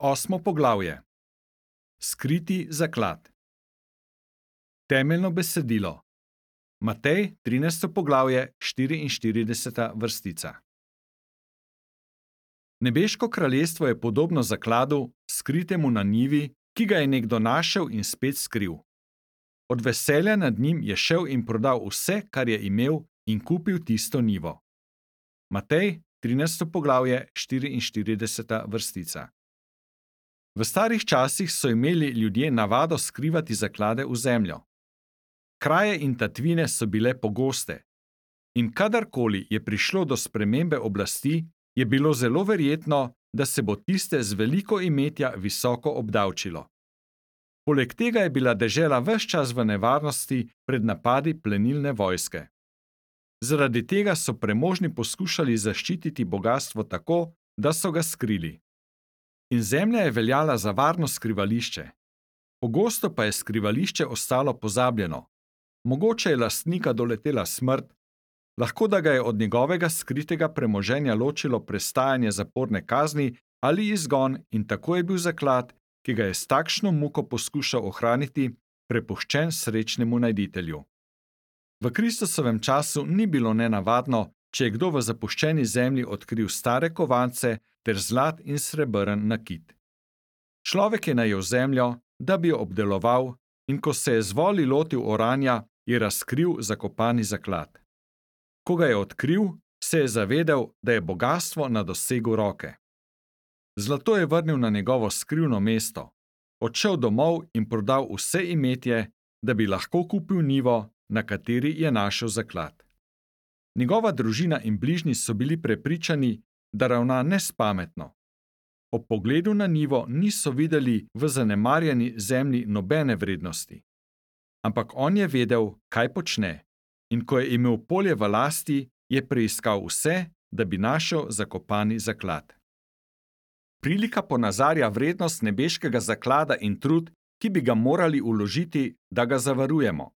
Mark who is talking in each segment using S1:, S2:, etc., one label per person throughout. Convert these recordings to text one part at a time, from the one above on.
S1: Osmo poglavje. Skriti zaklad. Temeljno besedilo. Matej, 13. poglavje, 44. vrstica. Nebeško kraljestvo je podobno zakladu, skritemu na njivi, ki ga je nekdo našel in spet skril. Od veselja nad njim je šel in prodal vse, kar je imel, in kupil tisto njivo. Matej, 13. poglavje, 44. vrstica. V starih časih so imeli ljudje navado skrivati zaklade v zemljo. Kraje in tatvine so bile pogoste. In kadarkoli je prišlo do spremembe oblasti, je bilo zelo verjetno, da se bo tiste z veliko imetja visoko obdavčilo. Poleg tega je bila dežela ves čas v nevarnosti pred napadi plenilne vojske. Zaradi tega so premožni poskušali zaščititi bogastvo tako, da so ga skrili. In zemlja je veljala za varno skrivališče. Pogosto pa je skrivališče ostalo pozabljeno. Mogoče je lastnika doletela smrt, lahko da ga je od njegovega skritega premoženja ločilo prestajanje zaporne kazni ali izgon in tako je bil zaklad, ki ga je s takšno muko poskušal ohraniti, prepuščen srečnemu najditelju. V Kristusovem času ni bilo nenavadno, če je kdo v zapuščeni zemlji odkril stare kovance ter zlat in srebrn nakit. Človek je najel zemljo, da bi jo obdeloval, in ko se je z voli lotil oranja, je razkril zakopani zaklad. Ko ga je odkril, se je zavedel, da je bogastvo na dosegu roke. Zlato je vrnil na njegovo skrivno mesto, odšel domov in prodal vse imetje, da bi lahko kupil njivo, na kateri je našel zaklad. Njegova družina in bližnji so bili prepričani, da ravna nespametno. Ob pogledu na njivo niso videli v zanemarjeni zemlji nobene vrednosti. Ampak on je vedel, kaj počne, in ko je imel polje v lasti, je preiskal vse, da bi našel zakopani zaklad. Prilika ponazarja vrednost nebeškega zaklada in trud, ki bi ga morali vložiti, da ga zavarujemo.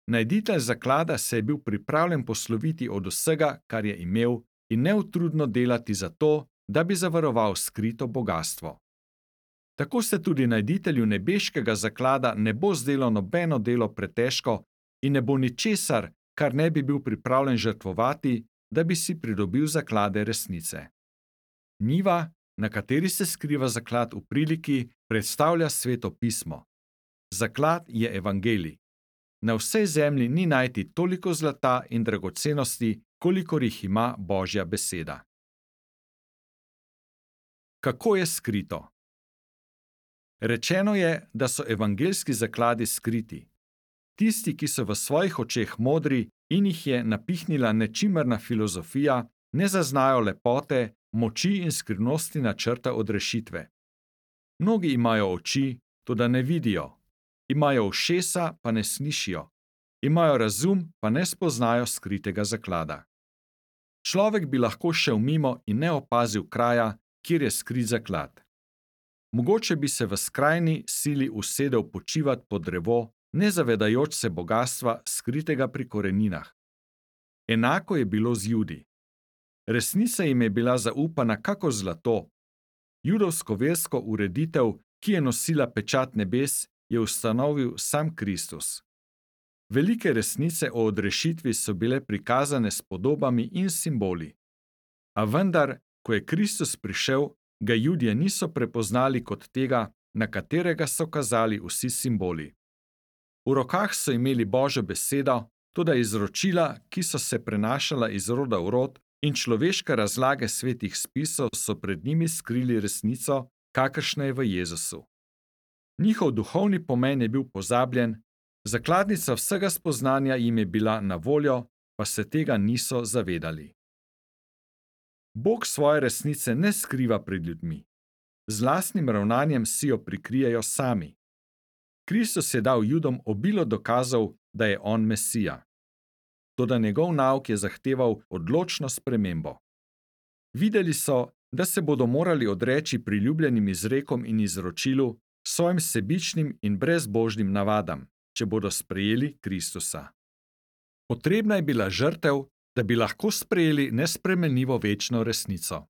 S1: Najditelj zaklada se je bil pripravljen posloviti od vsega, kar je imel, in neutrudno delati za to, da bi zavaroval skrito bogastvo. Tako se tudi najditelju nebeškega zaklada ne bo zdelo nobeno delo pretežko in ne bo ničesar, kar ne bi bil pripravljen žrtvovati, da bi si pridobil zaklade resnice. Njiva, na kateri se skriva zaklad v priliki, predstavlja Sveto pismo. Zaklad je evangelij. Na vsej zemlji ni najti toliko zlata in dragocenosti, kolikor jih ima Božja beseda. Kako je skrito? Rečeno je, da so evangeljski zakladi skriti. Tisti, ki so v svojih očeh modri in jih je napihnila nečimerna filozofija, ne zaznajo lepote, moči in skrivnosti načrta odrešitve. Mnogi imajo oči, toda ne vidijo. Imajo ušesa, pa ne slišijo. Imajo razum, pa ne spoznajo skritega zaklada. Človek bi lahko šel mimo in ne opazil kraja, kjer je skrit zaklad. Mogoče bi se v skrajni sili usedel počivat pod drevo, ne zavedajoč se bogastva, skritega pri koreninah. Enako je bilo z Judi. Resnica jim je bila zaupana kakor zlato. Judovsko versko ureditev, ki je nosila pečat nebes, je ustanovil sam Kristus. Velike resnice o odrešitvi so bile prikazane s podobami in simboli. A vendar, ko je Kristus prišel, ga Judje niso prepoznali kot tega, na katerega so kazali vsi simboli. V rokah so imeli Božjo besedo, toda izročila, ki so se prenašala iz roda v rod, in človeške razlage svetih spisov so pred njimi skrili resnico, kakršna je v Jezusu. Njihov duhovni pomen je bil pozabljen, zakladnica vsega spoznanja jim je bila na voljo, pa se tega niso zavedali. Bog svoje resnice ne skriva pred ljudmi. Z lastnim ravnanjem si jo prikrijejo sami. Kristus je dal Judom obilo dokazov, da je on Mesija. Toda njegov nauk je zahteval odločno spremembo. Videli so, da se bodo morali odreči priljubljenim izrekom in izročilu, svojim sebičnim in brezbožnim navadam, če bodo sprejeli Kristusa. Potrebna je bila žrtev, da bi lahko sprejeli nespremenljivo večno resnico.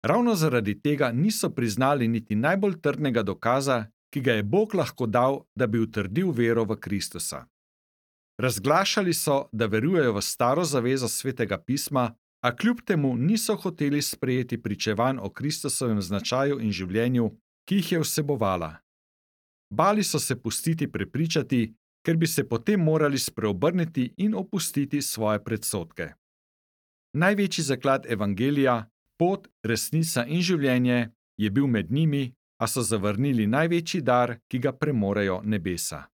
S1: Ravno zaradi tega niso priznali niti najbolj trdnega dokaza, ki ga je Bog lahko dal, da bi utrdil vero v Kristusa. Razglašali so, da verujejo v staro zavezo Svetega pisma, a kljub temu niso hoteli sprejeti pričevanj o Kristusovem značaju in življenju, ki jih je vsebovala. Bali so se pustiti prepričati, ker bi se potem morali spreobrniti in opustiti svoje predsodke. Največji zaklad evangelija, pot, resnica in življenje, je bil med njimi, a so zavrnili največji dar, ki ga premorejo nebesa.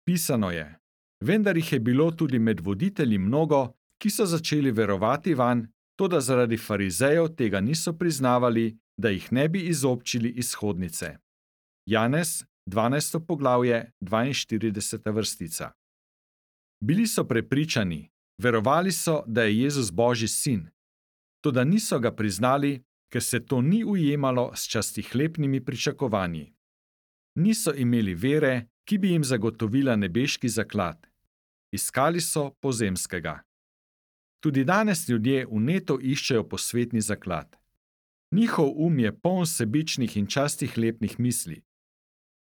S1: Pisano je: vendar jih je bilo tudi med voditelji mnogo, ki so začeli verovati vanj, toda zaradi farizejev tega niso priznavali, da jih ne bi izobčili iz hodnice. Janez, 12. poglavje, 42. vrstica. Bili so prepričani, verovali so, da je Jezus Božji sin, toda niso ga priznali, ker se to ni ujemalo s častihlepnimi pričakovanji. Niso imeli vere, ki bi jim zagotovila nebeški zaklad. Iskali so pozemskega. Tudi danes ljudje vneto iščejo posvetni zaklad. Njihov je poln sebičnih in častihlepnih misli.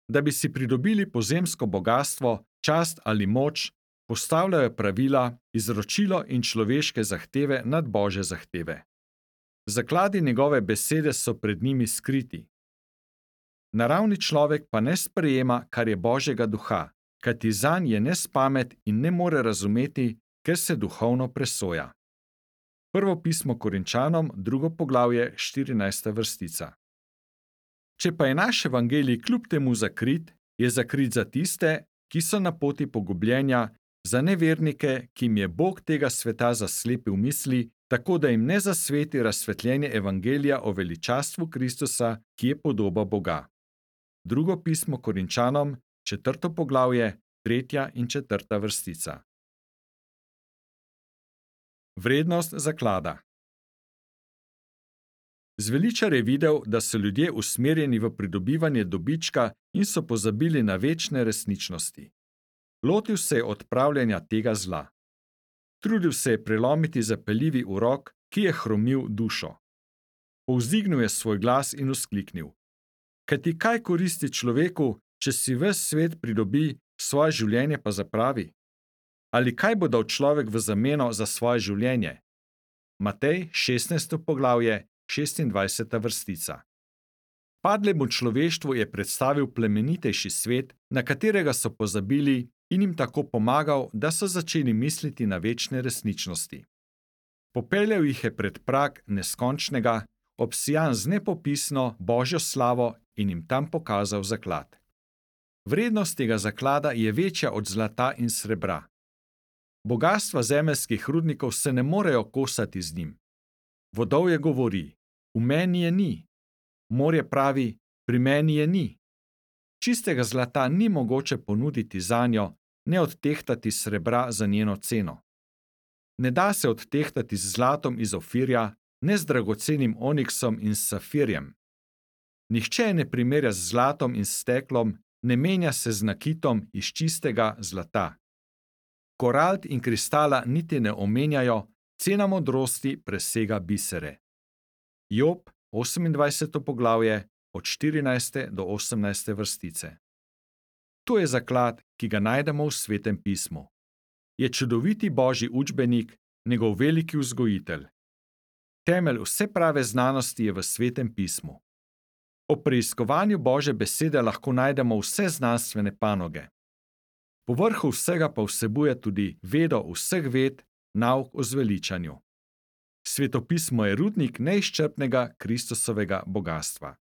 S1: Da bi si pridobili pozemsko bogastvo, čast ali moč, postavljajo pravila, izročilo in človeške zahteve nad Božje zahteve. Zakladi njegove besede so pred njimi skriti. Naravni človek pa ne sprejema, kar je Božjega duha, kajti zanj je nespamet in ne more razumeti, ker se duhovno presoja. Prvo pismo Korinčanom, 2. poglavje, 14. vrstica. Če pa je naš evangelij kljub temu zakrit, je zakrit za tiste, ki so na poti pogubljenja, za nevernike, ki jim je Bog tega sveta zaslepil misli, tako da jim ne zasveti razsvetljenje evangelija o veličastvu Kristusa, ki je podoba Boga. Drugo pismo Korinčanom, 4. poglavje, 3. in 4. vrstica. Vrednost zaklada. Zveličar je videl, da so ljudje usmerjeni v pridobivanje dobička in so pozabili na večne resničnosti. Lotil se je odpravljanja tega zla. Trudil se je prelomiti zapeljivi urok, ki je hromil dušo. Povzdignil je svoj glas in vzkliknil: kajti kaj koristi človeku, če si ves svet pridobi, svoje življenje pa zapravi? Ali kaj bo dal človek v zameno za svoje življenje? Matej, 16. poglavje, 26. vrstica. Padlemu človeštvu je predstavil plemenitejši svet, na katerega so pozabili, in jim tako pomagal, da so začeli misliti na večne resničnosti. Popeljal jih je pred prag neskončnega, obsijan z nepopisno Božjo slavo, in jim tam pokazal zaklad. Vrednost tega zaklada je večja od zlata in srebra. Bogastva zemeljskih rudnikov se ne morejo kosati z njim. Vodovje govori: v meni je ni. Morje pravi: pri meni je ni. Čistega zlata ni mogoče ponuditi zanjo, ne odtehtati srebra za njeno ceno. Ne da se odtehtati z zlatom iz Ofirja, ne z dragocenim oniksom in safirjem. Nihče je ne primerja z zlatom in steklom, ne menja se z nakitom iz čistega zlata. Korald in kristala niti ne omenjajo, cena modrosti presega bisere. Job, 28. poglavje, od 14. do 18. vrstice. To je zaklad, ki ga najdemo v Svetem pismu. Je čudoviti Božji učbenik, njegov veliki vzgojitelj. Temelj vse prave znanosti je v Svetem pismu. O preiskovanju Božje besede lahko najdemo vse znanstvene panoge. Povrhu vsega pa vsebuje tudi vedo vseh ved, nauk o zveličanju. Svetopismo je rudnik neizčrpnega Kristusovega bogastva.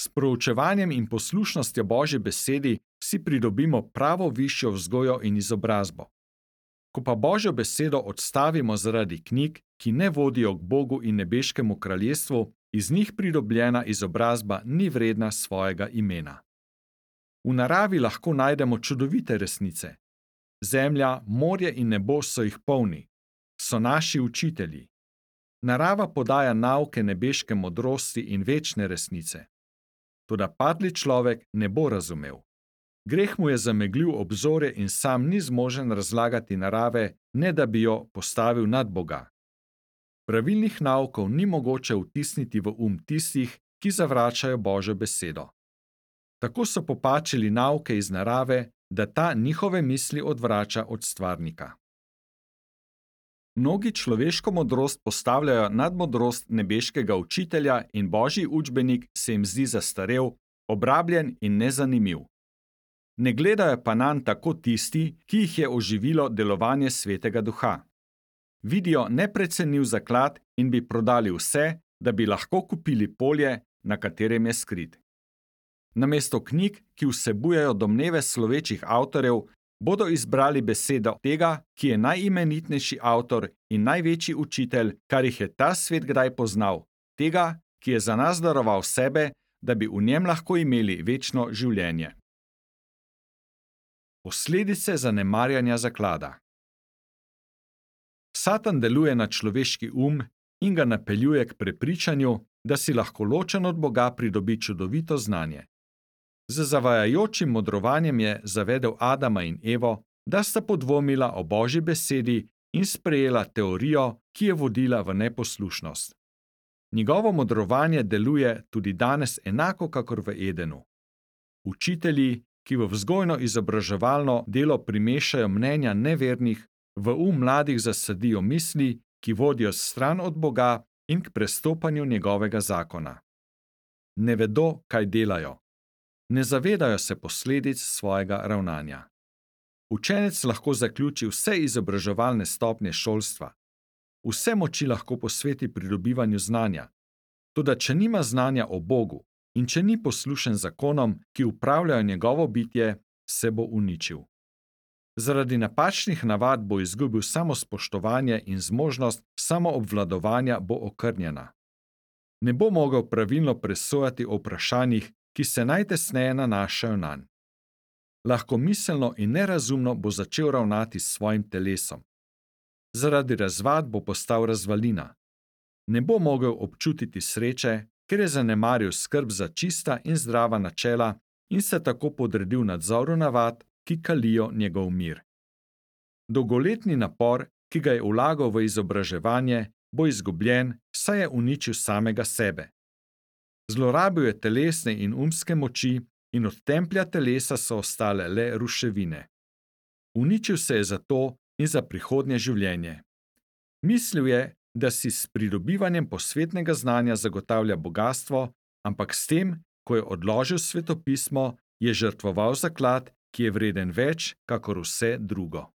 S1: S proučevanjem in poslušnostjo Božje besedi si pridobimo pravo višjo vzgojo in izobrazbo. Ko pa Božjo besedo odstavimo zaradi knjig, ki ne vodijo k Bogu in nebeškemu kraljestvu, iz njih pridobljena izobrazba ni vredna svojega imena. V naravi lahko najdemo čudovite resnice. Zemlja, morje in nebo so jih polni. So naši učitelji. Narava podaja nauke nebeške modrosti in večne resnice. Toda padli človek ne bo razumel. Greh mu je zameglil obzorje in sam ni zmožen razlagati narave, ne da bi jo postavil nad Boga. Pravilnih naukov ni mogoče vtisniti v tistih, ki zavračajo Božjo besedo. Tako so popačili nauke iz narave, da ta njihove misli odvrača od stvarnika. Mnogi človeško modrost postavljajo nad modrost nebeškega učitelja in Božji učbenik se jim zdi zastarel, obrabljen in nezanimiv. Ne gledajo pa nanj tako tisti, ki jih je oživilo delovanje Svetega Duha. Vidijo neprecenljiv zaklad in bi prodali vse, da bi lahko kupili polje, na katerem je skrit. Namesto knjig, ki vsebujejo domneve slovečih avtorjev, bodo izbrali besedo tega, ki je najimenitnejši avtor in največji učitelj, kar jih je ta svet kdaj poznal, tega, ki je za nas daroval sebe, da bi v njem lahko imeli večno življenje. Posledice zanemarjanja zaklada. Satan deluje na človeški in ga napeljuje k prepričanju, da si lahko ločen od Boga pridobi čudovito znanje. Z zavajajočim modrovanjem je zavedel Adama in Evo, da sta podvomila o Božji besedi in sprejela teorijo, ki je vodila v neposlušnost. Njegovo modrovanje deluje tudi danes enako kakor v Edenu. Učitelji, ki v vzgojno-izobraževalno delo primešajo mnenja nevernih, v mladih zasadijo misli, ki vodijo stran od Boga in k prestopanju njegovega zakona. Ne vedo, kaj delajo. Ne zavedajo se posledic svojega ravnanja. Učenec lahko zaključi vse izobraževalne stopnje šolstva. Vse moči lahko posveti pridobivanju znanja. Toda če nima znanja o Bogu in če ni poslušen zakonom, ki upravljajo njegovo bitje, se bo uničil. Zaradi napačnih navad bo izgubil samospoštovanje in zmožnost samoobvladovanja bo okrnjena. Ne bo mogel pravilno presojati o vprašanjih, ki se najtesneje nanašajo nanj. Lahkomiselno in nerazumno bo začel ravnati s svojim telesom. Zaradi razvad bo postal razvalina. Ne bo mogel občutiti sreče, ker je zanemaril skrb za čista in zdrava načela in se tako podredil nadzoru navad, ki kalijo njegov mir. Dolgoletni napor, ki ga je vlagal v izobraževanje, bo izgubljen, saj je uničil samega sebe. Zlorabil je telesne in umske moči in od templja telesa so ostale le ruševine. Uničil se je za to in za prihodnje življenje. Mislil je, da si s pridobivanjem posvetnega znanja zagotavlja bogastvo, ampak s tem, ko je odložil svetopismo, je žrtvoval zaklad, ki je vreden več, kakor vse drugo.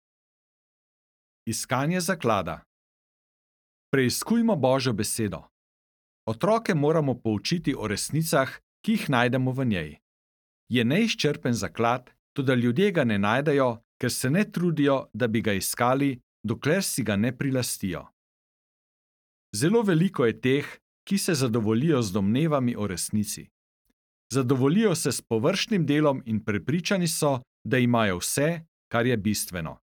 S1: Iskanje zaklada. Preiskujmo Božjo besedo. Otroke moramo poučiti o resnicah, ki jih najdemo v njej. Je neizčrpen zaklad, toda ljudje ga ne najdejo, ker se ne trudijo, da bi ga iskali, dokler si ga ne prilastijo. Zelo veliko je teh, ki se zadovoljijo z domnevami o resnici. Zadovoljijo se s površnim delom in prepričani so, da imajo vse, kar je bistveno.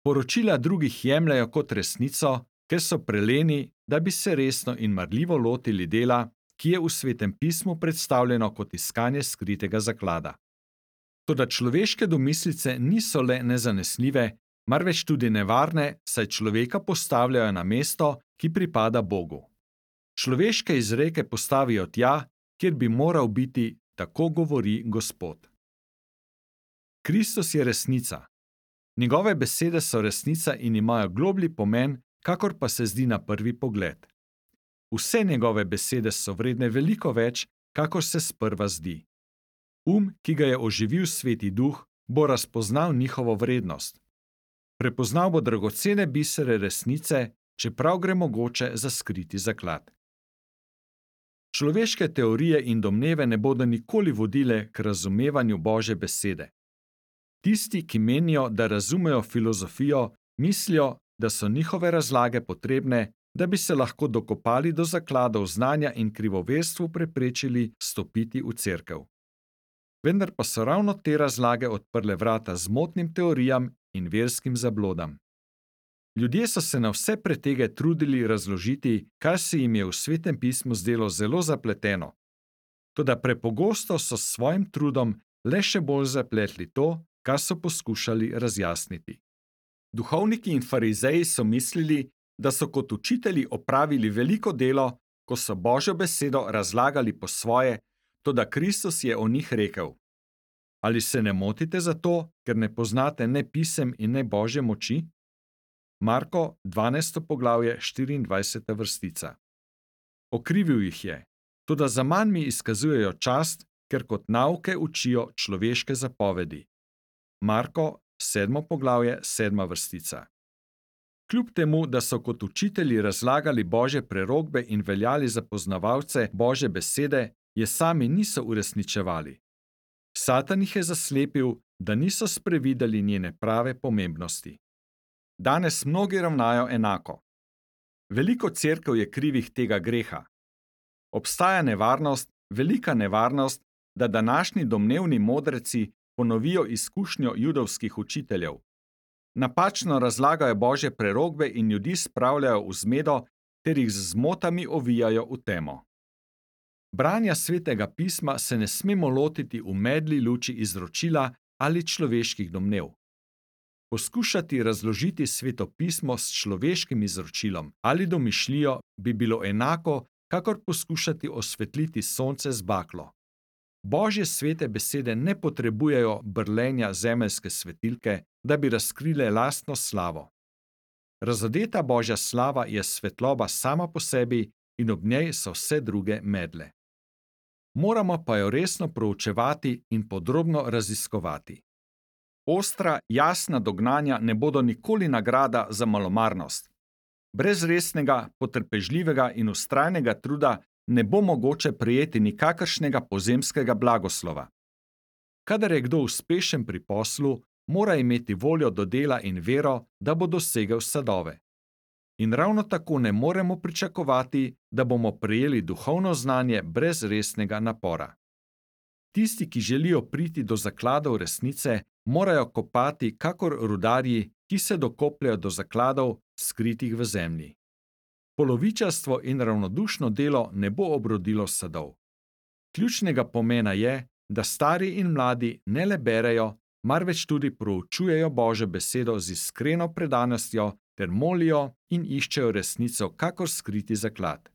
S1: Poročila drugih jemljejo kot resnico, ker so preleni, da bi se resno in marljivo lotili dela, ki je v Svetem pismu predstavljeno kot iskanje skritega zaklada. Toda človeške domislice niso le nezanesljive, marveč tudi nevarne, saj človeka postavljajo na mesto, ki pripada Bogu. Človeške izreke postavijo tja, kjer bi moral biti, tako govori Gospod. Kristus je resnica. Njegove besede so resnica in imajo globlji pomen, kakor pa se zdi na prvi pogled. Vse njegove besede so vredne veliko več, kakor se sprva zdi. Ki ga je oživil Sveti Duh, bo razpoznal njihovo vrednost. Prepoznal bo dragocene bisere resnice, čeprav gre mogoče za skriti zaklad. Človeške teorije in domneve ne bodo nikoli vodile k razumevanju Božje besede. Tisti, ki menijo, da razumejo filozofijo, mislijo, da so njihove razlage potrebne, da bi se lahko dokopali do zakladov znanja in krivoverstvu preprečili stopiti v cerkev. Vendar pa so ravno te razlage odprle vrata zmotnim teorijam in verskim zablodam. Ljudje so se na vse pretege trudili razložiti, kar se jim je v Svetem pismu zdelo zelo zapleteno. Toda prepogosto so s svojim trudom le še bolj zapletli to, kar so poskušali razjasniti. Duhovniki in farizeji so mislili, da so kot učitelji opravili veliko delo, ko so Božjo besedo razlagali po svoje, toda Kristus je o njih rekel: Ali se ne motite zato, ker ne poznate ne pisem in ne Božje moči? Marko 12. poglavje 24. vrstica. Okrivil jih je, toda zaman mi izkazujejo čast, ker kot nauke učijo človeške zapovedi. Marko 7. poglavje 7. vrstica. Kljub temu, da so kot učitelji razlagali Božje prerokbe in veljali za poznavalce Božje besede, je sami niso uresničevali. Satan jih je zaslepil, da niso sprevideli njene prave pomembnosti. Danes mnogi ravnajo enako. Veliko cerkev je krivih tega greha. Obstaja nevarnost, velika nevarnost, da današnji domnevni modreci ponovijo izkušnjo judovskih učiteljev. Napačno razlagajo Božje prerokbe in ljudi spravljajo v zmedo ter jih z zmotami ovijajo v temo. Branja svetega pisma se ne smemo lotiti v medli luči izročila ali človeških domnev. Poskušati razložiti sveto pismo s človeškim izročilom ali domišljijo bi bilo enako, kakor poskušati osvetliti sonce z baklo. Božje svete besede ne potrebujejo brlenja zemeljske svetilke, da bi razkrile lastno slavo. Razodeta Božja slava je svetloba sama po sebi in ob njej so vse druge medle. Moramo pa jo resno proučevati in podrobno raziskovati. Ostra, jasna dognanja ne bodo nikoli nagrada za malomarnost. Brez resnega, potrpežljivega in vztrajnega truda ne bo mogoče prejeti nikakršnega pozemskega blagoslova. Kadar je kdo uspešen pri poslu, mora imeti voljo do dela in vero, da bo dosegel sadove. In ravno tako ne moremo pričakovati, da bomo prejeli duhovno znanje brez resnega napora. Tisti, ki želijo priti do zakladov resnice, morajo kopati kakor rudarji, ki se dokopljajo do zakladov, skritih v zemlji. Polovičarstvo in ravnodušno delo ne bo obrodilo sadov. Ključnega pomena je, da stari in mladi ne le berejo, marveč tudi proučujejo Božjo besedo z iskreno predanostjo ter molijo in iščejo resnico kakor skriti zaklad.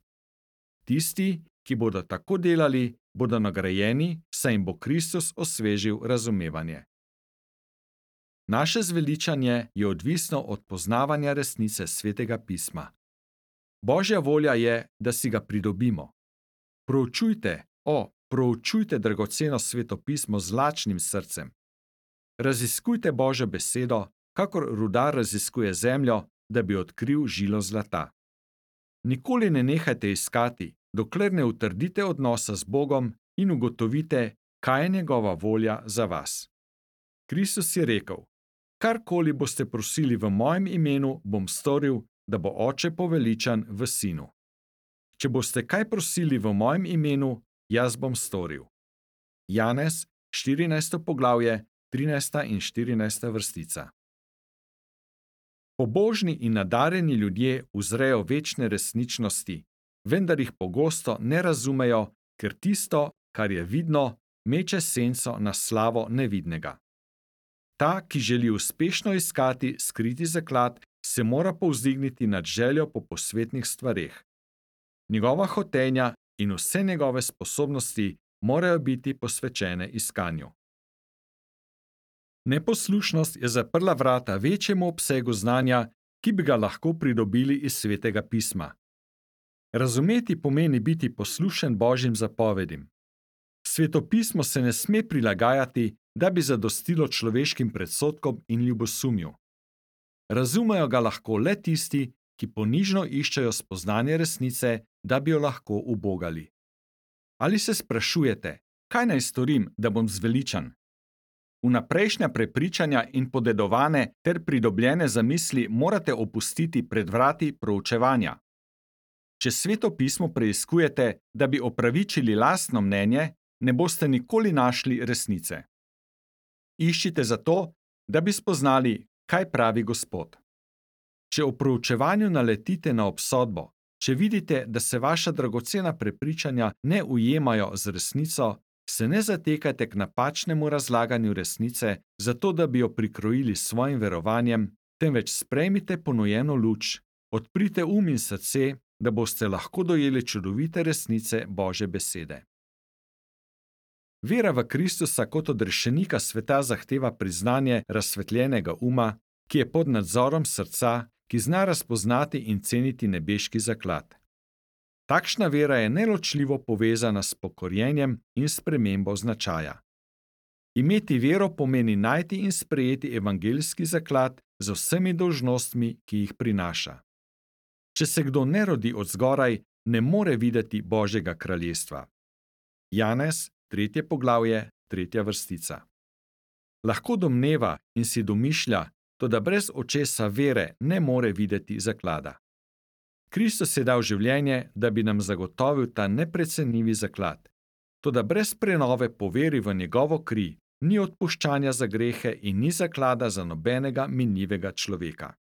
S1: Tisti, ki bodo tako delali, bodo nagrajeni, saj jim bo Kristus osvežil razumevanje. Naše zveličanje je odvisno od poznavanja resnice svetega pisma. Božja volja je, da si ga pridobimo. Proučujte dragoceno sveto pismo z lačnim srcem. Raziskujte Božjo besedo, kakor rudar raziskuje zemljo, da bi odkril žilo zlata. Nikoli ne nehajte iskati, dokler ne utrdite odnosa z Bogom in ugotovite, kaj je njegova volja za vas. Kristus je rekel: Karkoli boste prosili v mojem imenu, bom storil, da bo Oče poveličan v Sinu. Če boste kaj prosili v mojem imenu, jaz bom storil. Janez, 14. poglavje, 13. in 14. vrstica. Pobožni in nadarjeni ljudje uzrejo večne resničnosti, vendar jih pogosto ne razumejo, ker tisto, kar je vidno, meče senco na slavo nevidnega. Ta, ki želi uspešno iskati skriti zaklad, se mora povzdigniti nad željo po posvetnih stvareh. Njegova hotenja in vse njegove sposobnosti morajo biti posvečene iskanju. Neposlušnost je zaprla vrata večjemu obsegu znanja, ki bi ga lahko pridobili iz svetega pisma. Razumeti pomeni biti poslušen Božjim zapovedim. Sveto pismo se ne sme prilagajati, da bi zadostilo človeškim predsodkom in ljubosumju. Razumejo ga lahko le tisti, ki ponižno iščejo spoznanje resnice, da bi jo lahko ubogali. Ali se sprašujete, kaj naj storim, da bom zveličan? Vnaprejšnja prepričanja in podedovane ter pridobljene zamisli morate opustiti pred vrati proučevanja. Če sveto pismo preiskujete, da bi opravičili lastno mnenje, ne boste nikoli našli resnice. Iščite zato, da bi spoznali, kaj pravi Gospod. Če v proučevanju naletite na obsodbo, če vidite, da se vaša dragocena prepričanja ne ujemajo z resnico, se ne zatekajte k napačnemu razlaganju resnice, zato da bi jo prikrojili s svojim verovanjem, temveč sprejmite ponujeno luč, Odprite in srce, da boste lahko dojeli čudovite resnice Božje besede. Vera v Kristusa kot odrešenika sveta zahteva priznanje razsvetljenega uma, ki je pod nadzorom srca, ki zna razpoznati in ceniti nebeški zaklad. Takšna vera je neločljivo povezana s pokorjenjem in spremembo značaja. Imeti vero pomeni najti in sprejeti evangeljski zaklad z vsemi dolžnostmi, ki jih prinaša. Če se kdo ne rodi od zgoraj, ne more videti Božjega kraljestva. Janez, 3. poglavje, 3. vrstica. Lahko domneva in si domišlja, toda brez očesa vere ne more videti zaklada. Kristus je dal življenje, da bi nam zagotovil ta neprecenljivi zaklad. Toda brez prenove po veri v njegovo kri ni odpuščanja za grehe in ni zaklada za nobenega minljivega človeka.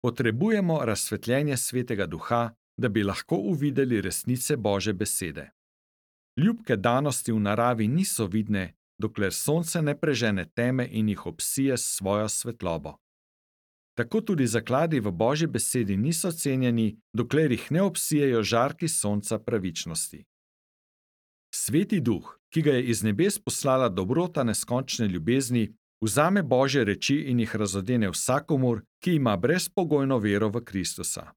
S1: Potrebujemo razsvetljenje Svetega Duha, da bi lahko uvideli resnice Božje besede. Ljubke danosti v naravi niso vidne, dokler sonce ne prežene teme in jih obsije s svojo svetlobo. Tako tudi zakladi v Božji besedi niso cenjeni, dokler jih ne obsijejo žarki sonca pravičnosti. Sveti Duh, ki ga je iz nebes poslala dobrota neskončne ljubezni, vzame Božje reči in jih razodene vsakomur, ki ima brezpogojno vero v Kristusa.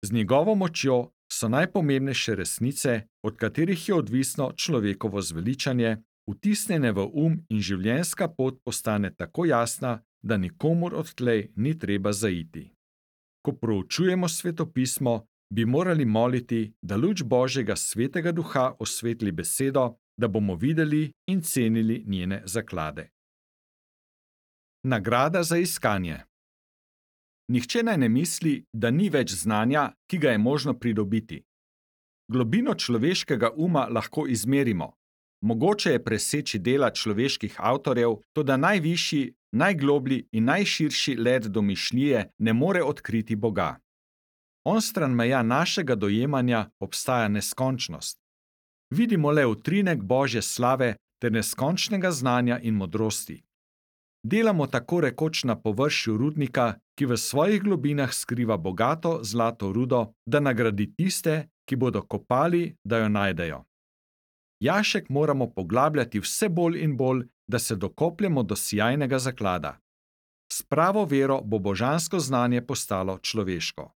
S1: Z njegovo močjo so najpomembnejše resnice, od katerih je odvisno človekovo zveličanje, vtisnjene v in življenjska pot postane tako jasna, da nikomur odtlej ni treba zaiti. Ko proučujemo svetopismo, bi morali moliti, da luč Božjega Svetega Duha osvetli besedo, da bomo videli in cenili njene zaklade. Nagrada za iskanje. Nihče naj ne misli, da ni več znanja, ki ga je možno pridobiti. Globino človeškega uma lahko izmerimo. Mogoče je preseči dela človeških avtorjev, toda najvišji, najgloblji in najširši led domišljije ne more odkriti Boga. Onstran meja našega dojemanja obstaja neskončnost. Vidimo le utrinek Božje slave ter neskončnega znanja in modrosti. Delamo tako rekoč na površju rudnika, ki v svojih globinah skriva bogato zlato rudo, da nagradi tiste, ki bodo kopali, da jo najdejo. Jašek moramo poglabljati vse bolj in bolj, da se dokopljemo do sijajnega zaklada. S pravo vero bo božansko znanje postalo človeško.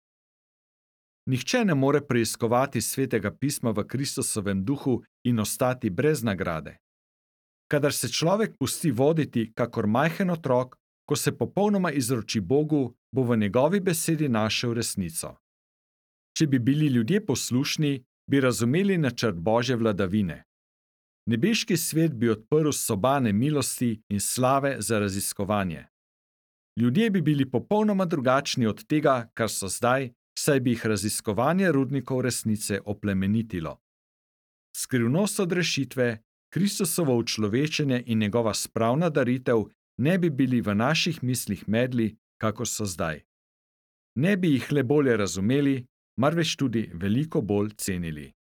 S1: Nihče ne more preiskovati Svetega pisma v Kristusovem duhu in ostati brez nagrade. Kadar se človek pusti voditi kakor majhen otrok, ko se popolnoma izroči Bogu, bo v njegovi besedi našel resnico. Če bi bili ljudje poslušni, bi razumeli načrt Božje vladavine. Nebeški svet bi odprl sobane milosti in slave za raziskovanje. Ljudje bi bili popolnoma drugačni od tega, kar so zdaj, saj bi jih raziskovanje rudnikov resnice oplemenitilo. Skrivnost odrešitve, Kristusovo učlovečenje in njegova spravna daritev ne bi bili v naših mislih medli, kakor so zdaj. Ne bi jih le bolje razumeli, marveč tudi veliko bolj cenili.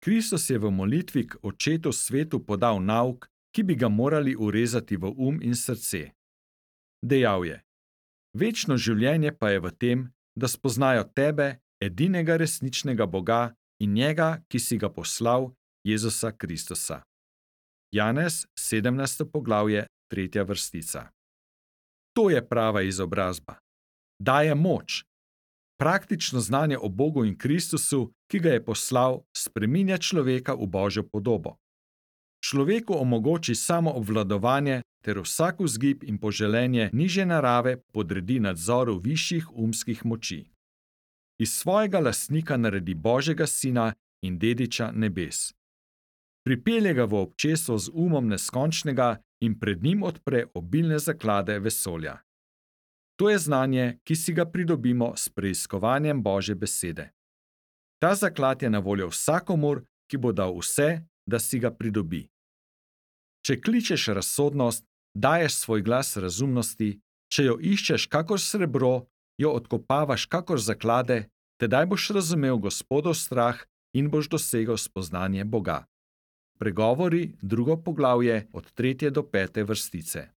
S1: Kristus je v molitvi k Očetu svetu podal nauk, ki bi ga morali urezati v in srce. Dejal je: Večno življenje pa je v tem, da spoznajo tebe, edinega resničnega Boga in njega, ki si ga poslal, Jezusa Kristusa. Janez, 17. poglavje, 3. vrstica. To je prava izobrazba. Daje moč. Praktično znanje o Bogu in Kristusu, ki ga je poslal, spreminja človeka v Božjo podobo. Človeku omogoči samo obvladovanje ter vsak vzgib in poželenje nižje narave podredi nadzoru višjih umskih moči. Iz svojega lastnika naredi Božjega sina in dediča nebes. Pripelje ga v občestvo z umom neskončnega in pred njim odpre obilne zaklade vesolja. To je znanje, ki si ga pridobimo s preiskovanjem Božje besede. Ta zaklad je na voljo vsakomur, ki bo dal vse, da si ga pridobi. Če kličeš razsodnost, daješ svoj glas razumnosti, če jo iščeš kakor srebro, jo odkopavaš kakor zaklade, tedaj boš razumel Gospodov strah in boš dosegel spoznanje Boga. Pregovori, 2. poglavje, od 3. do 5. vrstice.